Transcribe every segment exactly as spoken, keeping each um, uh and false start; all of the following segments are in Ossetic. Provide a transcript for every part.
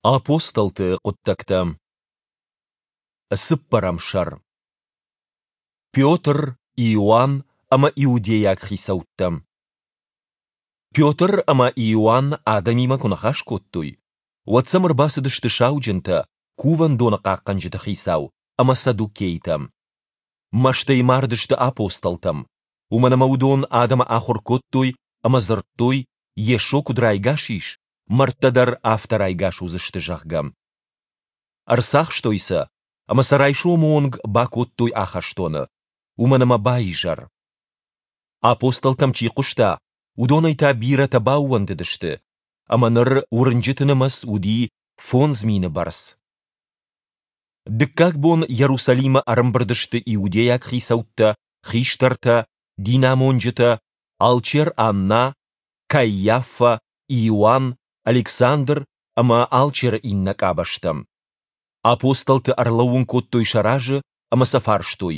Апостолты хъуыддӕгтӕ. Цыппӕрӕм сӕр. Петр, Иоанн ӕмӕ иудейаг хицӕуттӕ. Петр ӕмӕ Иоанн адӕмимӕ куы ныхас кодтой, уӕд сӕм ӕрбацыдысты сауджынтӕ, кувӕндоны хъахъхъӕнджыты хицау ӕмӕ саддукейтӕ. Мӕстӕй мардысты апостолтӕм, уымӕн ӕмӕ уыдон адӕмы ахуыр кодтой ӕмӕ дзырдтой, Йесо куыд райгас ис, мӕрдтӕ дӕр афтӕ райгас уыдзысты, зӕгъгӕ. Ӕрцахстой сӕ ӕмӕ сӕ райсомы онг бакодтой ахӕстоны, уымӕн ӕмӕ баизӕр. Апостолтӕм чи хъуыста, уыдонӕй та бирӕтӕ баууӕндыдысты, ӕмӕ ныр уырнджыты нымӕц уыди фондз мины бӕрц. Дыккаг бон Иерусалимы ӕрӕмбырд сты иудейаг хицӕуттӕ, хистӕртӕ, динамонджытӕ, алчер Анна, Кайаффӕ, Иоанн, Александр ӕмӕ алчеры иннӕ къабӕзтӕ. Апостолты ӕрлӕууын кодтой сӕ разы ӕмӕ сӕ фарстой: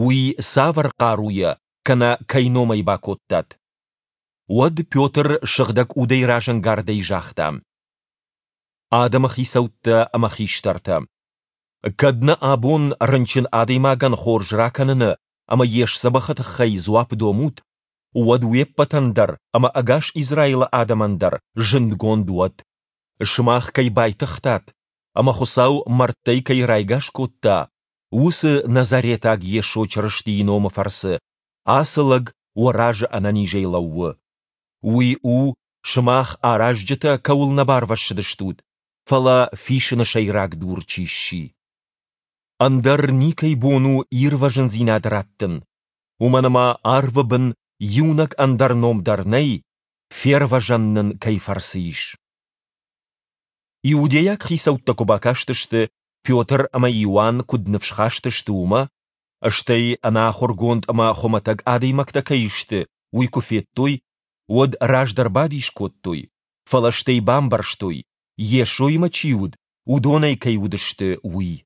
Уый цавӕр хъаруйӕ кӕнӕ кӕй номӕй бакодтат? Уӕд Петр Сыгъдӕг Удӕй разӕнгардӕй загъта: Адӕмы хицӕуттӕ ӕмӕ хистӕртӕ! Кӕд нӕ абон рынчын адӕймагӕн хорз ракӕныны ӕмӕ йе сдзӕбӕхы тыххӕй дзуапп домут, уӕд уе ппӕтӕн дӕр ӕмӕ ӕгас Израилы адӕмӕн дӕр зындгонд уӕд, сымах кӕй байтыгътат ӕмӕ Хуыцау мӕрдтӕй кӕй райгас кодта, уыцы Назаретаг Йесо Чырыстийы номы фӕрцы ацы лӕг уӕ разы ӕнӕнизӕй лӕууы. Уый у, сымах аразджытӕ кӕуыл нӕ барвӕссыдыстут, фӕлӕ фисыны сӕйраг дур чи сси. Ӕндӕр никӕй бон у ирвӕзындзинад раттын, уымӕн ӕмӕ арвы бын иунӕг ӕндӕр ном дӕр нӕй, фервӕзӕн нын кӕй фӕрцы ис. Иудейаг хицӕуттӕ куы бакастысты, Петр ӕмӕ Иоанн куыд ныфсхаст сты, уымӕ, стӕй ӕнахуыргонд ӕмӕ хуымӕтӕг адӕймӕгтӕ кӕй сты, уый куы федтой, уӕд раздӕр бадис кодтой, фӕлӕ стӕй бамбӕрстой, Йесоимӕ чи уыд, уыдонӕй кӕй уыдысты, уый.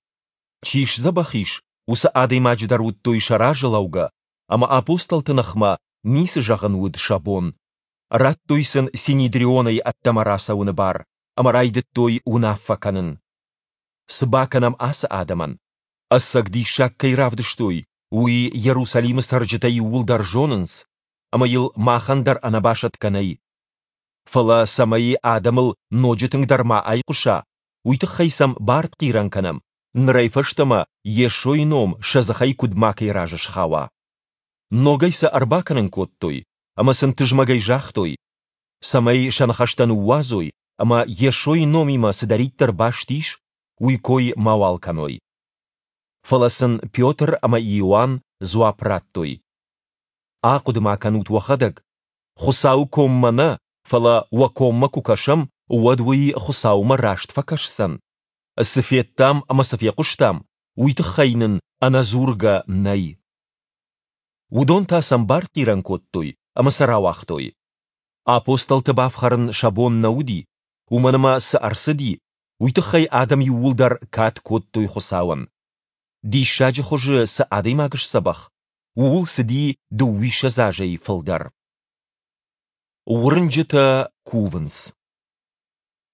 Чи сдзӕбӕх ис, уыцы адӕймаджы дӕр уыдтой сӕ разы лӕугӕ, ӕмӕ апостолты ныхмӕ ницы зӕгъын уыд сӕ бон. Радтой сын Синедрионӕй ӕддӕмӕ рацӕуыны бар ӕмӕ райдыдтой уынаффӕ кӕнын. Цы бакӕнӕм ацы адӕмӕн? Ӕцӕг диссаг кӕй равдыстой, уый Иерусалимы цӕрджытӕ иууылдӕр зонынц, ӕмӕ йыл махӕн дӕр ӕнӕбасӕтгӕ нӕй. Фӕлӕ цӕмӕй адӕмыл ноджы тынгдӕр ма айхъуыса, уый тыххӕй сӕм бартхъирӕн кӕнӕм, нырӕй фӕстӕмӕ Йесойы ном сӕ дзыхӕй куыд макӕй разы схауа. Ногӕй сӕ ӕрбакӕнын кодтой ӕмӕ сын тызмӕгӕй загътой, цӕмӕй сӕ ныхӕстӕ ныууадзой ӕмӕ Йесойы номимӕ цыдӕриддӕр баст ис, уый кой мауал кӕной. Фӕлӕ сын Петр ӕмӕ Иоанн дзуапп радтой: Ахъуыды-ма кӕнут уӕхӕдӕг, Хуыцауы коммӕ нӕ, фӕлӕ уӕ коммӕ куы кӕсӕм, уӕд уый Хуыцаумӕ раст фӕкӕсдзӕн? Цы федтам ӕмӕ цы фехъуыстам, уый тыххӕй нын ӕнӕдзургӕ нӕй. Уыдон та сӕм бартхъирӕн кодтой ӕмӕ сӕ рауагътой. Апостолты бафхӕрын сӕ бон нӕ уыди, уымӕн ӕмӕ цы ӕрцыди, уый тыххӕй адӕм иууылдӕр кад кодтой Хуыцауӕн. Диссаджы хуызы цы адӕймаг сдзӕбӕх, ууыл цыди дыууиссӕдз азӕй фылдӕр. Уырнджытӕ кувынц.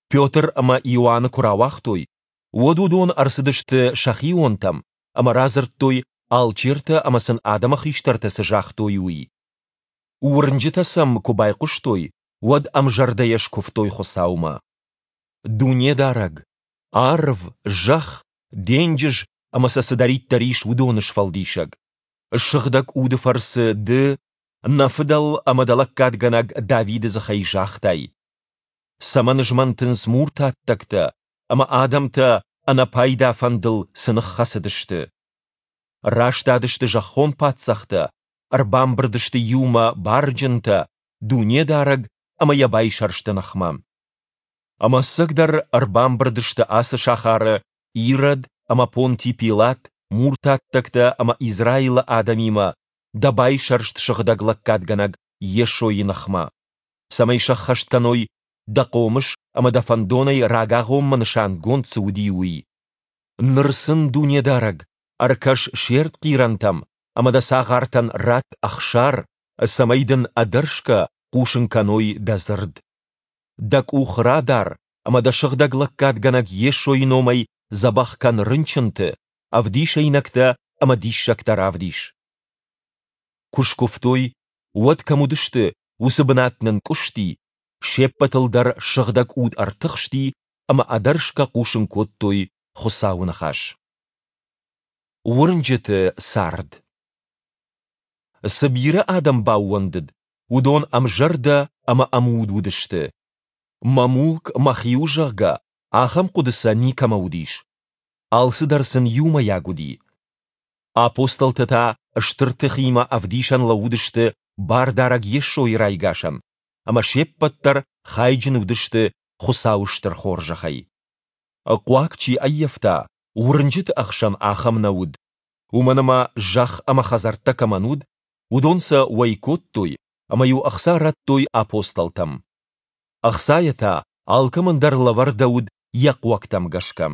Петр ӕмӕ Иоанны куы рауагътой, уӕд уыдон ӕрцыдысты сӕхионтӕм ӕмӕ радзырдтой, алчертӕ ӕмӕ сын адӕмы хистӕртӕ цы загътой, уый. Уырнджытӕ сӕм куы байхъуыстой, уӕд ӕмзӕрдӕйӕ скуывтой Хуыцаумӕ. Дунедарӕг, арв, зӕхх, денджыз ӕмӕ сӕ цыдӕриддӕр ис, уыдоны сфӕлдисӕг! Сыгъдӕг Уды фӕрцы Ды, нӕ фыдӕл ӕмӕ дӕ лӕггадгӕнӕг Давиды дзыхӕй загътай: Цӕмӕн змӕнтынц муртаттӕгтӕ ӕмӕ адӕмтӕ ӕнӕпайда фӕндыл цы ныххӕцыдысты? Растадысты зӕххон паддзӕхтӕ, ӕрбамбырд сты иумӕ барджынтӕ, Дунедарӕг ӕмӕ йӕ байсӕрсты ныхмӕ. Ӕмӕ ӕцӕгдӕр ӕрбамбырд сты ацы сахары Ирод ӕмӕ Понти Пилат, муртаттӕгтӕ ӕмӕ Израилы адӕмимӕ дӕ байсӕрст сыгъдӕг лӕггадгӕнӕг Йесойы ныхмӕ, цӕмӕй сӕххӕст кӕной дӕ хъомыс ӕмӕ дӕ фӕндонӕй рагагъоммӕ нысангонд цы уыди, уый. Ныр сын, Дунедарӕг, ӕркӕс се ртхъирӕнтӕм ӕмӕ дӕ цагъартӕн ратт ӕхсар, цӕмӕй дын ӕдӕрсгӕ хъусын кӕной дӕ дзырд. Дӕ къух радар ӕмӕ дӕ сыгъдӕг лӕггадгӕнӕг Йесойы номӕй дзӕбӕх кӕн рынчынты, ӕвдисӕйнӕгтӕ ӕмӕ диссӕгтӕ равдис. Куы скуывтой, уӕд кӕм уыдысты, уыцы бынат нынкъуысти, се ппӕтыл дӕр Сыгъдӕг Уд ӕртыхсти ӕмӕ ӕдӕрсгӕ хъусын кодтой Хуыцауы ныхас. Уырнджыты цард. Цы бирӕ адӕм баууӕндыд, уыдон ӕмзӕрдӕ ӕмӕ ӕмуд уыдысты. Мӕ мулк мӕхи у, зӕгъгӕ, ахӕм хъуыды сӕ никӕмӕ уыдис. Алцыдӕр сын иумӕйаг уыди. Апостолтӕ та стыр тыхимӕ ӕвдисӕн лӕууыдысты Бардарӕг Йесойы райгасӕн, ӕмӕ се ппӕт дӕр хайджын уыдысты Хуыцауы стыр хорзӕхӕй. Хъуаг чи ӕййӕфта, уырнджыты ӕхсӕн ахӕм нӕ уыд. Уымӕн ӕмӕ зӕхх ӕмӕ хӕдзӕрттӕ кӕмӕн уыд, уыдон сӕ уӕй кодтой ӕмӕ-иу ӕхца радтой апостолтӕм. Ӕхцайӕ та алкӕмӕн дӕр лӕвӕрдӕуыд йӕ хъуӕгтӕм гӕсгӕ.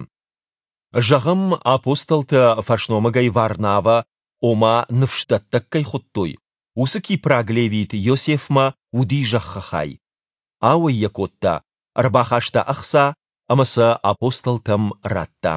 Зӕгъӕм, апостолтӕ фӕсномыгӕй Варнавӕ, ома ныфсдӕттӕг кӕй хуыдтой, уыцы кипраг левит Иосифмӕ уыди зӕххы хай. Ауӕй йӕ кодта, ӕрбахаста ӕхца ӕмӕ сӕ апостолтӕм радта.